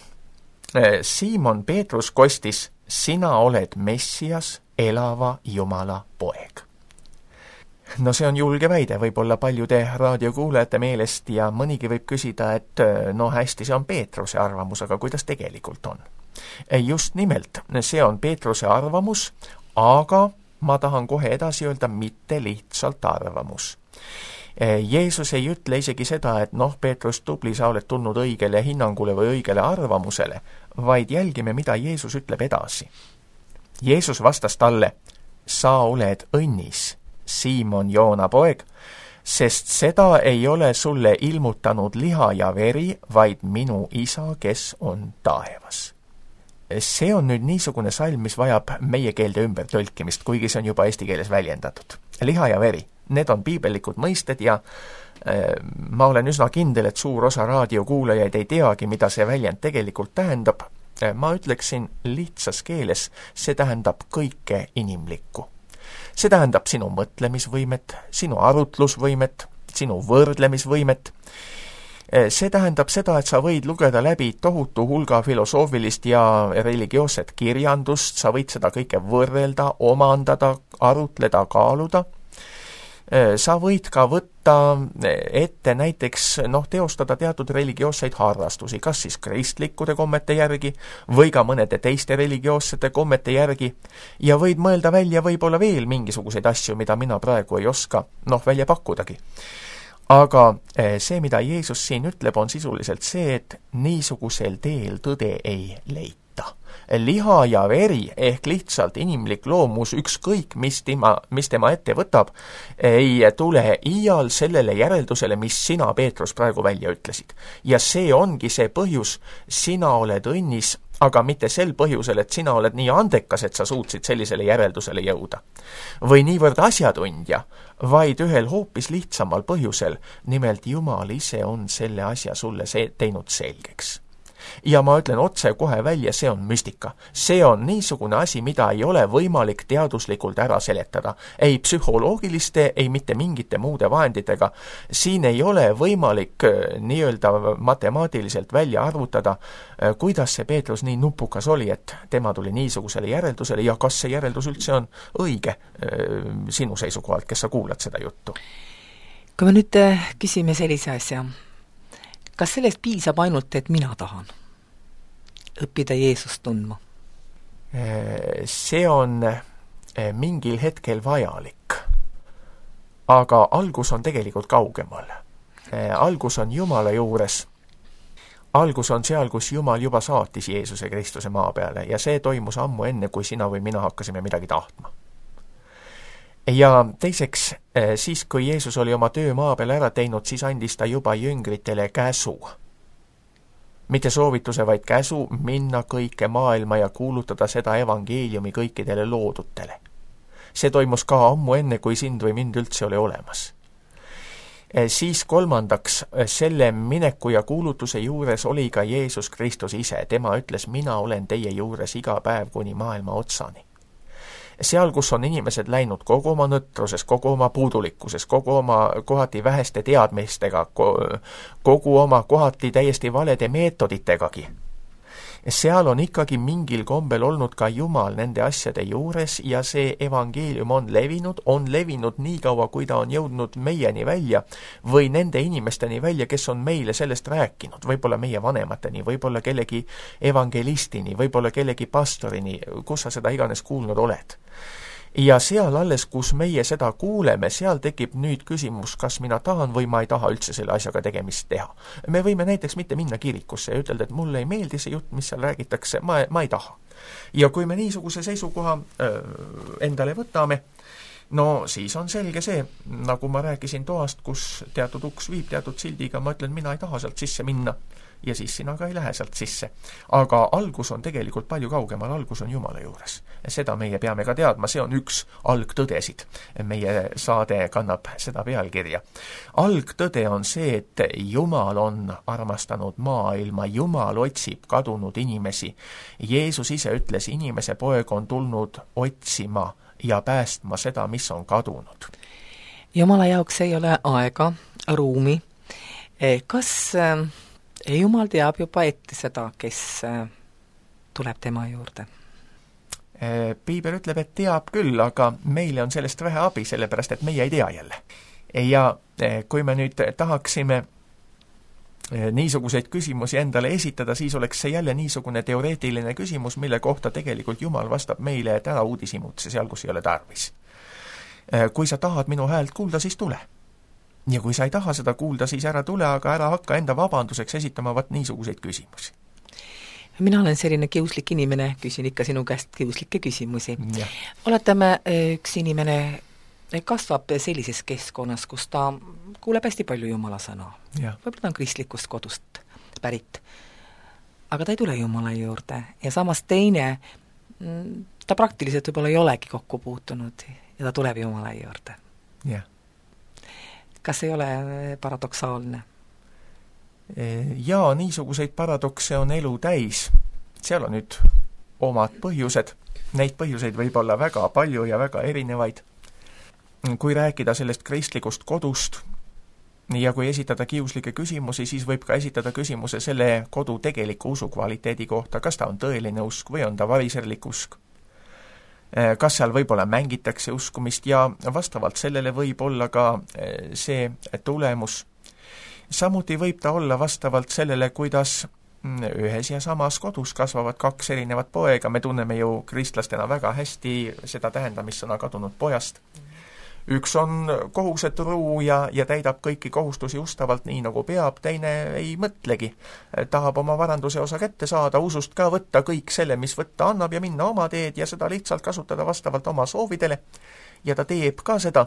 Siimon Peetrus kostis, sina oled Messias, elava Jumala poeg. No see on julge väide võib-olla paljude raadiokuulajate meelest ja mõnigi võib küsida, et no hästi, see on Peetruse arvamus, aga kuidas tegelikult on? Just nimelt, see on Peetruse arvamus, aga ma tahan kohe edasi öelda, mitte lihtsalt arvamus. Jeesus ei ütle isegi seda, et noh, Peetrus, tubli, sa oled tulnud õigele hinnangule või õigele arvamusele, vaid jälgime, mida Jeesus ütleb edasi. Jeesus vastas talle, sa oled õnnis, Siimon Joona poeg, sest seda ei ole sulle ilmutanud liha ja veri, vaid minu isa, kes on taevas. See on nüüd niisugune salm, mis vajab meie keelde ümber tõlkimist, kuigi see on juba eesti keeles väljendatud. Liha ja veri, need on piibellikud mõisted ja äh, ma olen üsna kindel, et suur osa raadiokuulajaid ei teagi, mida see väljend tegelikult tähendab. Ma ütleksin lihtsas keeles, see tähendab kõike inimlikku. See tähendab sinu mõtlemisvõimet, sinu arutlusvõimet, sinu võrdlemisvõimet. See tähendab seda, et sa võid lugeda läbi tohutu hulga filosoofilist ja religioosset kirjandust, sa võid seda kõike võrrelda, omandada, arutleda, kaaluda. Sa võid ka võtta ette näiteks, noh, teostada teatud religioosseid harrastusi, kas siis kristlikkude kommete järgi või ka mõnede teiste religioossete kommete järgi ja võid mõelda välja võib-olla veel mingisuguseid asju, mida mina praegu ei oska, noh, välja pakkudagi. Aga see, mida Jeesus siin ütleb, on sisuliselt see, et niisugusel teel tõde ei leita. Liha ja veri ehk lihtsalt inimlik loomus, ükskõik mis tema, mis tema ette võtab, ei tule iial sellele järeldusele, mis sina, Peetrus, praegu välja ütlesid. Ja see ongi see põhjus, sina oled õnnis, aga mitte sel põhjusel, et sina oled nii andekas, et sa suutsid sellisele järeldusele jõuda. Või niivõrd asjatundja, vaid ühel hoopis lihtsamal põhjusel, nimelt Jumal ise on selle asja sulle see teinud selgeks. Ja ma ütlen otse kohe välja, see on müstika. See on niisugune asi, mida ei ole võimalik teaduslikult ära seletada. Ei psühholoogiliste, ei mitte mingite muude vahenditega. Siin ei ole võimalik nii-öelda matemaatiliselt välja arvutada, kuidas see Peetrus nii nupukas oli, et tema tuli niisugusele järeldusele ja kas see järeldus üldse on õige sinu seisukohalt, kes sa kuulad seda juttu. Kui me nüüd küsime sellise asja, kas sellest piisab ainult, et mina tahan õppida Jeesust tundma? See on mingil hetkel vajalik, aga algus on tegelikult kaugemal. Algus on Jumala juures. Algus on seal, kus Jumal juba saatis Jeesuse Kristuse maa peale ja see toimus ammu enne, kui sina või mina hakkasime midagi tahtma. Ja teiseks, siis kui Jeesus oli oma töö maa peal ära teinud, siis andis ta juba jüngritele käsu. Mitte soovituse, vaid käsu minna kõike maailma ja kuulutada seda evangeeliumi kõikidele loodutele. See toimus ka ammu enne, kui sind või mind üldse oli olemas. Siis kolmandaks, selle mineku ja kuulutuse juures oli ka Jeesus Kristus ise. Tema ütles, mina olen teie juures iga päev kuni maailma otsani. Seal, kus on inimesed läinud kogu oma nõtruses, kogu oma puudulikkuses, kogu oma kohati väheste teadmistega, kogu oma kohati täiesti valede meetoditegagi. Seal on ikkagi mingil kombel olnud ka Jumal nende asjade juures ja see evangeelium on levinud, on levinud nii kaua, kui ta on jõudnud meieni välja või nende inimesteni välja, kes on meile sellest rääkinud, võib-olla meie vanemateni, võib-olla kellegi evangelistini, võib-olla kellegi pastorini, kus sa seda iganes kuulnud oled. ja seal alles, kus meie seda kuuleme, seal tekib nüüd küsimus, kas mina tahan või ma ei taha üldse selle asjaga tegemist teha. Me võime näiteks mitte minna kirikusse ja ütelda, et mulle ei meeldi see jutt, mis seal räägitakse, ma, ma ei taha. Ja kui me niisuguse seisukoha öö, endale võtame, no siis on selge see, nagu ma rääkisin toast, kus teatud uks viib teatud sildiga, ma ütlen, mina ei taha sealt sisse minna ja siis sina ka ei lähe sealt sisse. Aga algus on tegelikult palju kaugemal, algus on Jumala juures. Seda meie peame ka teadma, see on üks algtõdesid. Meie saade kannab seda pealkirja. Algtõde on see, et Jumal on armastanud maailma, Jumal otsib kadunud inimesi. Jeesus ise ütles, inimese poeg on tulnud otsima ja päästma seda, mis on kadunud. Jumala jaoks ei ole aega, ruumi. Kas Jumal teab juba ette seda, kes tuleb tema juurde? Piibel ütleb, et teab küll, aga meile on sellest vähe abi, sellepärast et meie ei tea jälle. Ja kui me nüüd tahaksime niisuguseid küsimusi endale esitada, siis oleks see jälle niisugune teoreetiline küsimus, mille kohta tegelikult Jumal vastab meile, et ära uudishimutse seal, kus ei ole tarvis. Kui sa tahad minu häält kuulda, siis tule. Ja kui sa ei taha seda kuulda, siis ära tule, aga ära hakka enda vabanduseks esitama vat niisuguseid küsimusi. Mina olen selline kiuslik inimene, küsin ikka sinu käest kiuslikke küsimusi. Ja. Oletame, üks inimene kasvab sellises keskkonnas, kus ta kuuleb hästi palju Jumala sõna. Võib-olla ta on kristlikust kodust pärit. Aga ta ei tule Jumala juurde. Ja samas teine, ta praktiliselt võib-olla ei olegi kokku puutunud ja ta tuleb Jumala juurde. Ja. Kas ei ole paradoksaalne? Jaa, niisuguseid paradokse on elu täis. Seal on nüüd omad põhjused. Neid põhjuseid võib olla väga palju ja väga erinevaid. Kui rääkida sellest kristlikust kodust ja kui esitada kiuslikke küsimusi, siis võib ka esitada küsimuse selle kodu tegeliku usu kvaliteedi kohta, kas ta on tõeline usk või on ta variserlik usk. Kas seal võib-olla mängitakse uskumist ja vastavalt sellele võib olla ka see tulemus. Samuti võib ta olla vastavalt sellele, kuidas ühes ja samas kodus kasvavad kaks erinevat poega. Me tunneme ju kristlastena väga hästi seda tähendamissõna kadunud pojast. Üks on kohuseturu ja, ja täidab kõiki kohustusi ustavalt nii, nagu peab, teine ei mõtlegi. Tahab oma varanduse osa kätte saada, usust ka võtta kõik selle, mis võtta annab ja minna oma teed ja seda lihtsalt kasutada vastavalt oma soovidele. Ja ta teeb ka seda.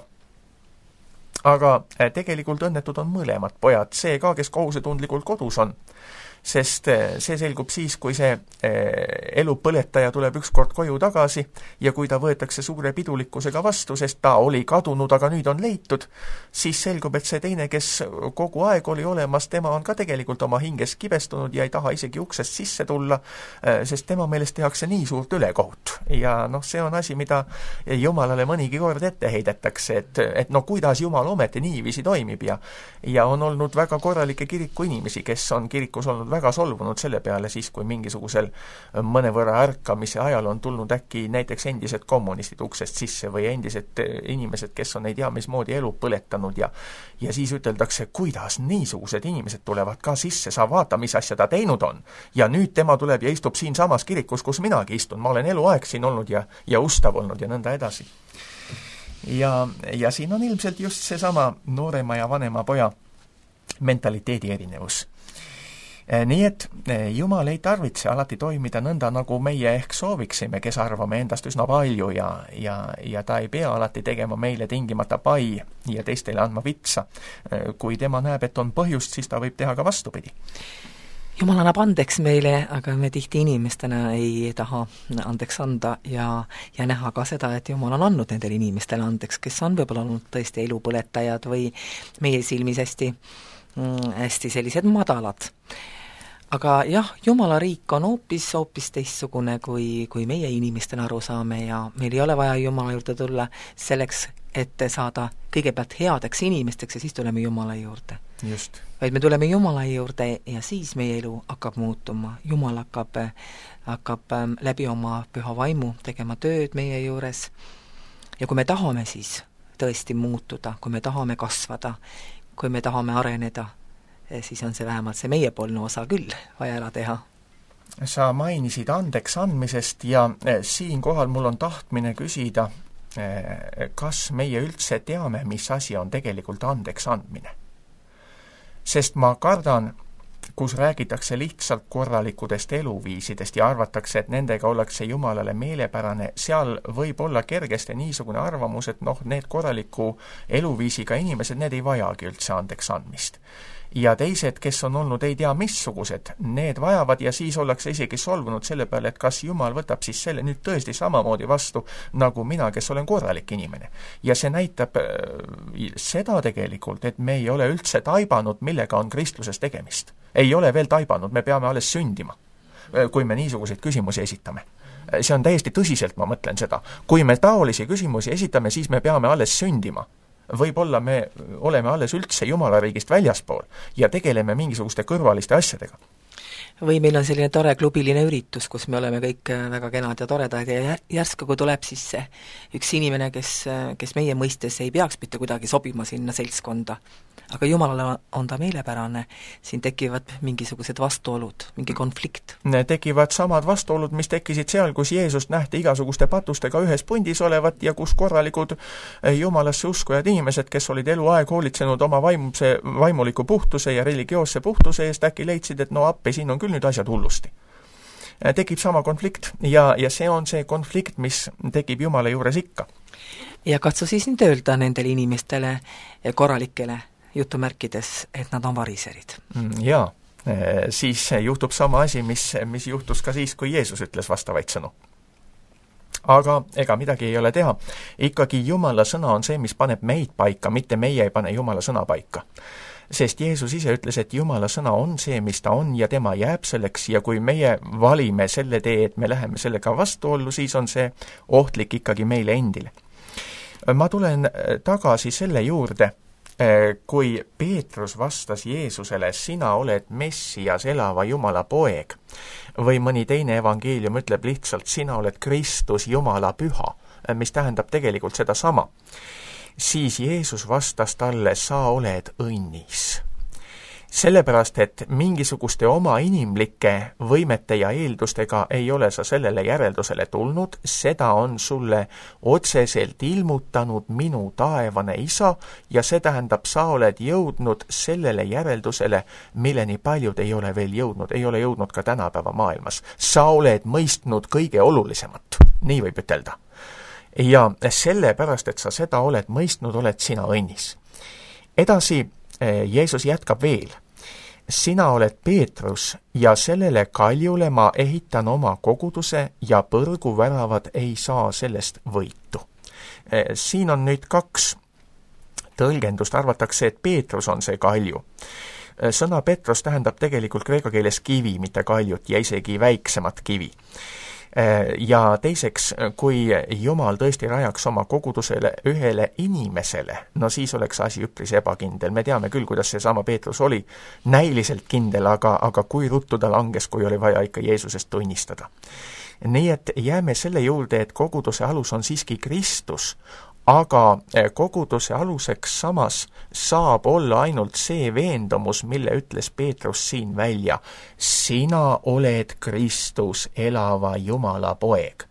Aga tegelikult õnnetud on mõlemad pojad, see ka, kes kohusetundlikult kodus on. Sest see selgub siis, kui see elu põletaja tuleb ükskord koju tagasi ja kui ta võetakse suure pidulikkusega vastu, sest ta oli kadunud, aga nüüd on leitud, siis selgub, et see teine, kes kogu aeg oli olemas, tema on ka tegelikult oma hinges kibestunud ja ei taha isegi uksest sisse tulla, sest tema meelest tehakse nii suurt ülekohut. Ja noh, see on asi, mida Jumalale mõnigi kord ette heidetakse, et, et no kuidas Jumal ometi niiviisi toimib ja, ja on olnud väga korralikke kiriku inimesi, kes on kirikus olnud väga solvunud selle peale siis, kui mingisugusel mõnevõrra ärkamise ajal on tulnud äkki näiteks endised kommunistid uksest sisse või endised inimesed, kes on ei tea mismoodi elu põletanud ja, ja siis üteldakse, kuidas niisugused inimesed tulevad ka sisse, sa vaata, mis asja ta teinud on. Ja nüüd tema tuleb ja istub siin samas kirikus, kus minagi istun, ma olen eluaeg siin olnud ja, ja ustav olnud ja nõnda edasi. Ja, ja siin on ilmselt just seesama noorema ja vanema poja mentaliteedi erinevus. Nii et Jumal ei tarvitse alati toimida nõnda, nagu meie ehk sooviksime, kes arvame endast üsna palju ja, ja, ja ta ei pea alati tegema meile tingimata pai ja teistele andma vitsa. Kui tema näeb, et on põhjust, siis ta võib teha ka vastupidi. Jumal annab andeks meile, aga me tihti inimestena ei taha andeks anda ja, ja näha ka seda, et Jumal on andnud nendele inimestele andeks, kes on võib-olla olnud tõesti elupõletajad või meie silmis hästi, hästi sellised madalad. Aga jah, Jumala riik on hoopis, hoopis teistsugune, kui, kui meie inimestena aru saame ja meil ei ole vaja Jumala juurde tulla selleks, et saada kõigepealt headeks inimesteks ja siis tuleme Jumala juurde. Just. Vaid me tuleme Jumala juurde ja siis meie elu hakkab muutuma. Jumal hakkab, hakkab läbi oma püha vaimu tegema tööd meie juures. Ja kui me tahame siis tõesti muutuda, kui me tahame kasvada, kui me tahame areneda, siis on see vähemalt see meiepoolne osa küll vaja ära teha. Sa mainisid andeks andmisest ja siin kohal mul on tahtmine küsida, kas meie üldse teame, mis asi on tegelikult andeks andmine. Sest ma kardan, kus räägitakse lihtsalt korralikudest eluviisidest ja arvatakse, et nendega ollakse Jumalale meelepärane, seal võib olla kergesti niisugune arvamus, et noh, need korraliku eluviisiga inimesed, need ei vajagi üldse andeks andmist. Ja teised, kes on olnud ei tea missugused, need vajavad ja siis ollakse isegi solvunud selle peale, et kas Jumal võtab siis selle nüüd tõesti samamoodi vastu, nagu mina, kes olen korralik inimene. Ja see näitab seda tegelikult, et me ei ole üldse taibanud, millega on kristluses tegemist. Ei ole veel taibanud, me peame alles sündima, kui me niisuguseid küsimusi esitame. See on täiesti tõsiselt, ma mõtlen seda. Kui me taolisi küsimusi esitame, siis me peame alles sündima. Võib-olla me oleme alles üldse Jumala riigist väljaspool ja tegeleme mingisuguste kõrvaliste asjadega. Või meil on selline tore klubiline üritus, kus me oleme kõik väga kenad ja toredad ja järsku, kui tuleb siis üks inimene, kes, kes meie mõistes ei peaks mitte kuidagi sobima sinna seltskonda, aga Jumalale on ta meelepärane, siin tekivad mingisugused vastuolud, mingi konflikt. Tekivad samad vastuolud, mis tekkisid seal, kus Jeesust nähti igasuguste patustega ühes pundis olevat ja kus korralikud Jumalasse uskujad inimesed, kes olid eluaeg hoolitsenud oma vaimuse, vaimuliku puhtuse ja religioosse puhtuse eest, äkki leidsid, et no appi, siin on küll nüüd asjad hullusti. Tekib sama konflikt ja, ja see on see konflikt, mis tekib Jumala juures ikka. Ja katsu siis nüüd öelda nendele inimestele korralikele jutumärkides, et nad on variserid. Jaa, siis juhtub sama asi, mis, mis juhtus ka siis, kui Jeesus ütles vastavaid sõnu. Aga ega midagi ei ole teha. Ikkagi Jumala sõna on see, mis paneb meid paika, mitte meie ei pane Jumala sõna paika. Sest Jeesus ise ütles, et Jumala sõna on see, mis ta on ja tema jääb selleks ja kui meie valime selle tee, et me läheme sellega vastuollu, siis on see ohtlik ikkagi meile endile. Ma tulen tagasi selle juurde, kui Peetrus vastas Jeesusele, sina oled Messias, elava Jumala poeg, või mõni teine evangeelium ütleb lihtsalt, sina oled Kristus, Jumala püha, mis tähendab tegelikult seda sama. Siis Jeesus vastas talle, sa oled õnnis. Sellepärast, et mingisuguste oma inimlike võimete ja eeldustega ei ole sa sellele järeldusele tulnud, seda on sulle otseselt ilmutanud minu taevane isa ja see tähendab, sa oled jõudnud sellele järeldusele, milleni paljud ei ole veel jõudnud, ei ole jõudnud ka tänapäeva maailmas. Sa oled mõistnud kõige olulisemat, nii võib ütelda. Ja sellepärast, et sa seda oled mõistnud, oled sina õnnis. Edasi Jeesus jätkab veel. Sina oled Peetrus ja sellele kaljule ma ehitan oma koguduse ja põrguväravad ei saa sellest võitu. Siin on nüüd kaks tõlgendust. Arvatakse, et Peetrus on see kalju. Sõna Petrus tähendab tegelikult kreeka keeles kivi, mitte kaljut ja isegi väiksemat kivi. Ja teiseks, kui Jumal tõesti rajaks oma kogudusele ühele inimesele, no siis oleks asi üpris ebakindel. Me teame küll, kuidas see sama Peetrus oli näiliselt kindel, aga, aga kui ruttu ta langes, kui oli vaja ikka Jeesusest tunnistada. Nii et jääme selle juurde, et koguduse alus on siiski Kristus, aga koguduse aluseks samas saab olla ainult see veendumus, mille ütles Peetrus siin välja. Sina oled Kristus, elava Jumala poeg.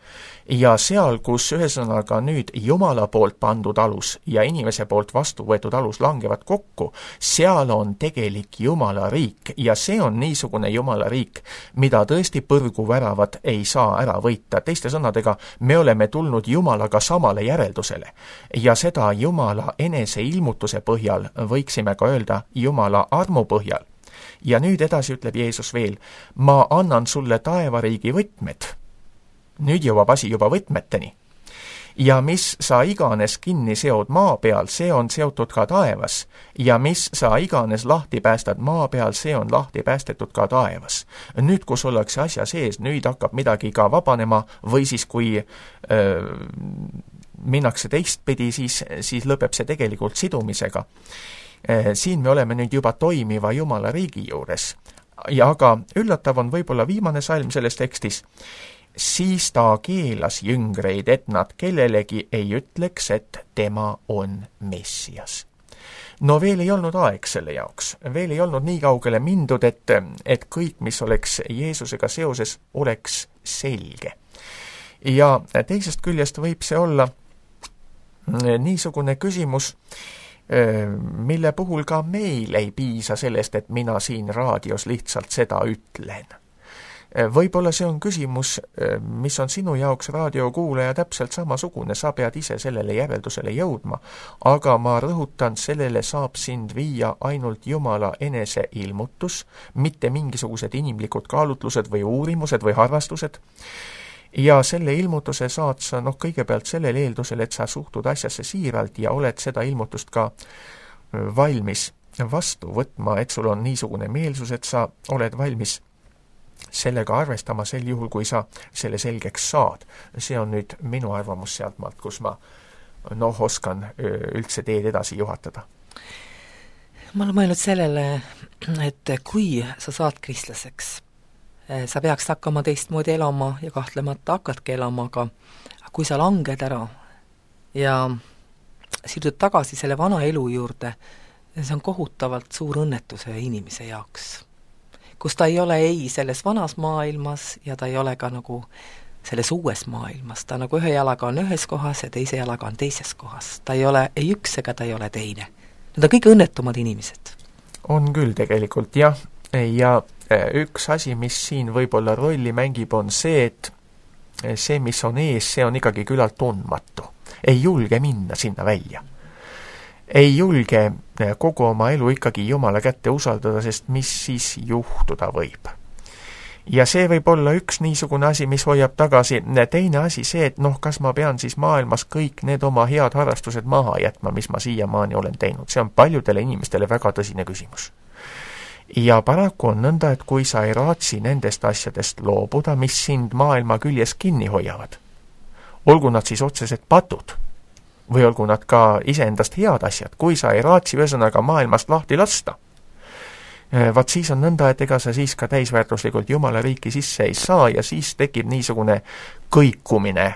Ja seal, kus ühesõnaga nüüd Jumala poolt pandud alus ja inimese poolt vastu võetud alus langevad kokku, seal on tegelik Jumala riik ja see on niisugune Jumala riik, mida tõesti põrguväravad ei saa ära võita. Teiste sõnadega, me oleme tulnud Jumalaga samale järeldusele ja seda Jumala enese ilmutuse põhjal võiksime ka öelda Jumala armu põhjal. Ja nüüd edasi ütleb Jeesus veel, ma annan sulle taevariigi võtmed. Nüüd jõuab asi juba võtmeteni. Ja mis sa iganes kinni seod maa peal, see on seotud ka taevas. Ja mis sa iganes lahti päästad maa peal, see on lahti päästetud ka taevas. Nüüd, kus ollakse asja sees, nüüd hakkab midagi ka vabanema või siis kui öö, minnakse teistpidi, siis, siis lõpeb see tegelikult sidumisega. E, siin me oleme nüüd juba toimiva Jumala riigi juures. Ja aga üllatav on võib-olla viimane salm selles tekstis. Siis ta keelas jüngreid, et nad kellelegi ei ütleks, et tema on Messias. No veel ei olnud aeg selle jaoks. Veel ei olnud nii kaugele mindud, et, et kõik, mis oleks Jeesusega seoses, oleks selge. Ja teisest küljest võib see olla niisugune küsimus, mille puhul ka meil ei piisa sellest, et mina siin raadios lihtsalt seda ütlen. Võib-olla see on küsimus, mis on sinu jaoks raadiokuulaja täpselt samasugune, sa pead ise sellele järeldusele jõudma, aga ma rõhutan, sellele saab sind viia ainult Jumala enese ilmutus, mitte mingisugused inimlikud kaalutlused või uurimused või harrastused. Ja selle ilmutuse saad sa noh, kõigepealt sellel eeldusel, et sa suhtud asjasse siiralt ja oled seda ilmutust ka valmis vastu võtma, et sul on niisugune meelsus, et sa oled valmis sellega arvestama sel juhul, kui sa selle selgeks saad. See on nüüd minu arvamus sealtmaalt, kus ma noh, oskan üldse teed edasi juhatada. Ma olen mõelnud sellele, et kui sa saad kristlaseks, sa peaks hakkama teistmoodi elama ja kahtlemata hakkadki elama, aga kui sa langed ära ja sirdud tagasi selle vana elu juurde, see on kohutavalt suur õnnetuse inimese jaoks, kus ta ei ole ei selles vanas maailmas ja ta ei ole ka nagu selles uues maailmas, ta nagu ühe jalaga on ühes kohas ja teise jalaga on teises kohas, ta ei ole ei üks ega ta ei ole teine. Need on kõige õnnetumad inimesed. On küll tegelikult, jah, ja üks asi, mis siin võib-olla rolli mängib, on see, et see, mis on ees, see on ikkagi küllalt tundmatu. Ei julge minna sinna välja. Ei julge kogu oma elu ikkagi Jumala kätte usaldada, sest mis siis juhtuda võib. Ja see võib olla üks niisugune asi, mis hoiab tagasi. Teine asi see, et noh, kas ma pean siis maailmas kõik need oma head harrastused maha jätma, mis ma siiamaani olen teinud. See on paljudele inimestele väga tõsine küsimus. Ja paraku on nõnda, et kui sa ei raatsi nendest asjadest loobuda, mis sind maailma küljes kinni hoiavad, olgu nad siis otsesed patud, või olgu nad ka iseendast head asjad, kui sa ei raatsi ühesõnaga maailmast lahti lasta, vaat siis on nõnda, et ega sa siis ka täisväärtuslikult Jumala riiki sisse ei saa ja siis tekib niisugune kõikumine,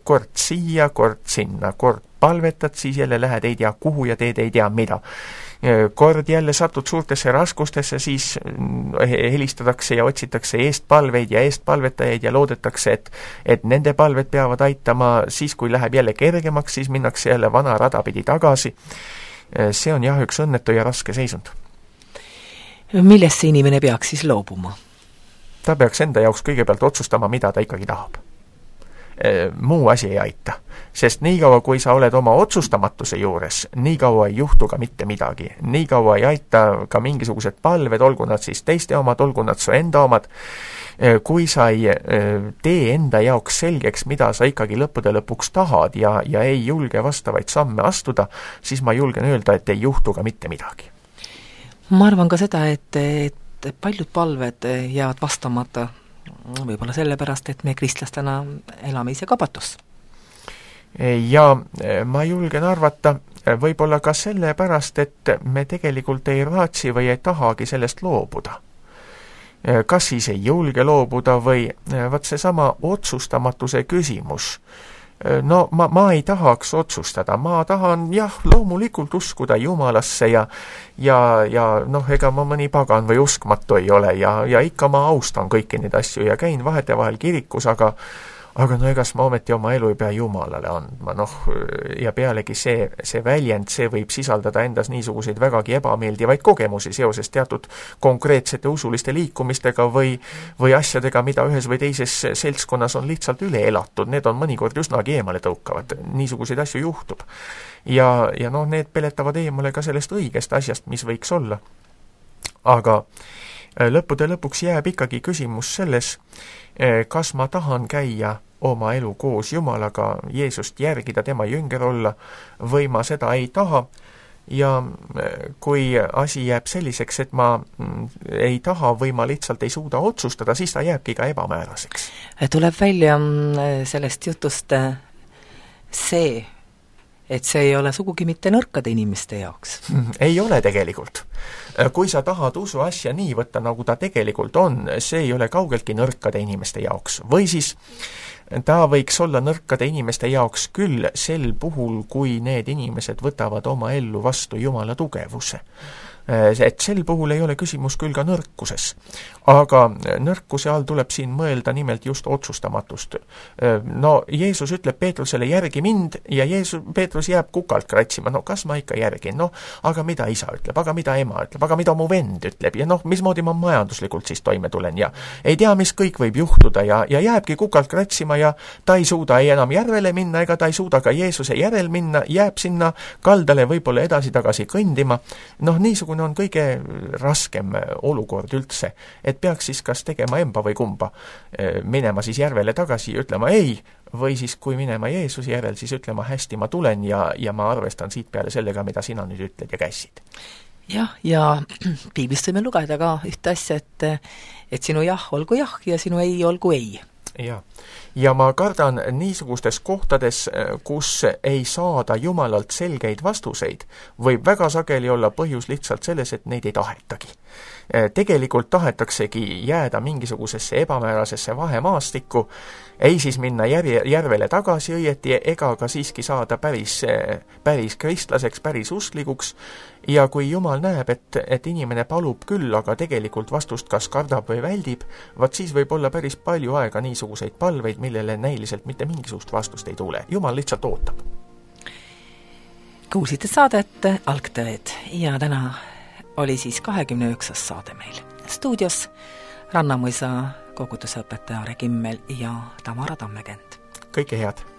kord siia, kord sinna, kord palvetad, siis jälle lähed ei tea kuhu ja teed ei tea mida. Kord jälle satud suurtesse raskustesse, siis helistatakse ja otsitakse eestpalveid ja eestpalvetajaid ja loodetakse, et, et nende palved peavad aitama, siis kui läheb jälle kergemaks, siis minnakse jälle vana rada pidi tagasi. See on jah üks õnnetu ja raske seisund. Millest see inimene peaks siis loobuma? Ta peaks enda jaoks kõigepealt otsustama, mida ta ikkagi tahab. Muu asi ei aita, sest niikaua, kui sa oled oma otsustamatuse juures, niikaua ei juhtu ka mitte midagi. Niikaua ei aita ka mingisugused palved, olgu nad siis teiste omad, olgu nad su enda omad. Kui sa ei tee enda jaoks selgeks, mida sa ikkagi lõppude lõpuks tahad ja, ja ei julge vastavaid samme astuda, siis ma julgen öelda, et ei juhtu ka mitte midagi. Ma arvan ka seda, et, et paljud palved jäävad vastamata võib-olla sellepärast, et me kristlastena elame ise kabatus. Ja ma julgen arvata võib-olla ka sellepärast, et me tegelikult ei raatsi või ei tahagi sellest loobuda. Kas siis ei julge loobuda või vaat see sama otsustamatuse küsimus. No ma, ma ei tahaks otsustada, ma tahan jah, loomulikult uskuda Jumalasse ja, ja, ja noh, ega ma mõni pagan või uskmatu ei ole ja, ja ikka ma austan kõiki neid asju ja käin vahetevahel kirikus, aga aga no egas ma ometi oma elu ei pea Jumalale andma, noh, ja pealegi see, see väljend, see võib sisaldada endas niisuguseid vägagi ebameeldivaid kogemusi seoses teatud konkreetsete usuliste liikumistega või, või asjadega, mida ühes või teises seltskonnas on lihtsalt üle elatud, need on mõnikord üsnagi eemale tõukavad, niisuguseid asju juhtub. Ja, ja noh, need peletavad eemale ka sellest õigest asjast, mis võiks olla. Aga lõppude lõpuks jääb ikkagi küsimus selles, kas ma tahan käia oma elu koos Jumalaga, Jeesust järgida, tema jünger olla, või ma seda ei taha. Ja kui asi jääb selliseks, et ma ei taha või ma lihtsalt ei suuda otsustada, siis ta jääbki ka ebamääraseks. Tuleb välja sellest jutust see, et see ei ole sugugi mitte nõrkade inimeste jaoks. Ei ole tegelikult. Kui sa tahad usu asja nii võtta, nagu ta tegelikult on, see ei ole kaugeltki nõrkade inimeste jaoks. Või siis ta võiks olla nõrkade inimeste jaoks küll sel puhul, kui need inimesed võtavad oma ellu vastu Jumala tugevuse. Et sel puhul ei ole küsimus küll ka nõrkuses. Aga nõrkuse all tuleb siin mõelda nimelt just otsustamatust. No Jeesus ütleb Peetrusele, järgi mind, ja Jeesus, Peetrus jääb kukalt kratsima. No kas ma ikka järgin? No, aga mida isa ütleb? Aga mida ema ütleb? Aga mida mu vend ütleb? Ja noh, mismoodi ma majanduslikult siis toime tulen? Ja ei tea, mis kõik võib juhtuda ja, ja jääbki kukalt kratsima ja ta ei suuda ei enam järvele minna ega ta ei suuda ka Jeesuse järel minna, jääb sinna kaldale võib-olla edasi-tagasi kõndima. Noh, niisugune on kõige raskem olukord üldse, et peaks siis kas tegema emba või kumba, minema siis järvele tagasi ja ütlema ei, või siis kui minema Jeesuse järel, siis ütlema hästi, ma tulen ja, ja ma arvestan siit peale sellega, mida sina nüüd ütled ja käisid. Jah, ja piiblist võime lugeda ka ühte asja, et, et sinu jah olgu jah ja sinu ei olgu ei. Ja. ja ma kardan niisugustes kohtades, kus ei saada Jumalalt selgeid vastuseid, võib väga sageli olla põhjus lihtsalt selles, et neid ei tahetagi. Tegelikult tahetaksegi jääda mingisugusesse ebamäärasesse vahemaastikku, ei siis minna järje, järvele tagasi õieti, ega ka siiski saada päris, päris kristlaseks, päris usklikuks, ja kui Jumal näeb, et, et inimene palub küll, aga tegelikult vastust kas kardab või väldib, vaat siis võib olla päris palju aega niisuguseid palveid, millele näiliselt mitte mingisugust vastust ei tule. Jumal lihtsalt ootab. Kuulsite saadet Algtõed ja täna oli siis kahekümne üheksas saade meil. Stuudios Rannamõisa koguduse õpetaja Re Kimmel ja Tamara Tammekent. Kõike head!